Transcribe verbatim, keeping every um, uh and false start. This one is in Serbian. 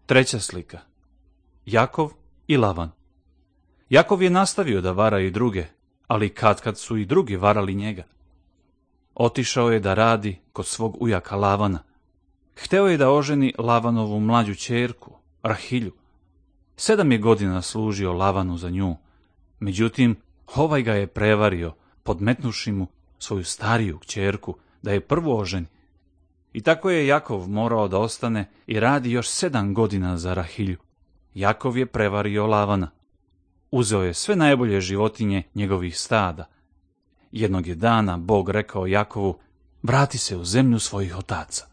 Treća slika. Jakov i Lavan. Jakov je nastavio da vara i druge, ali katkad su i drugi varali njega. Otišao je da radi kod svog ujaka Lavana. Hteo je da oženi Lavanovu mlađu ćerku, Rahilju. Sedam je godina služio Lavanu za nju, međutim, ovaj ga je prevario, podmetnuši mu svoju stariju kćerku da je prvo oženi. I tako je Jakov morao da ostane i radi još sedam godina za Rahilju. Jakov je prevario Lavana. Uzeo je sve najbolje životinje njegovih stada. Jednog je dana Bog rekao Jakovu, vrati se u zemlju svojih otaca.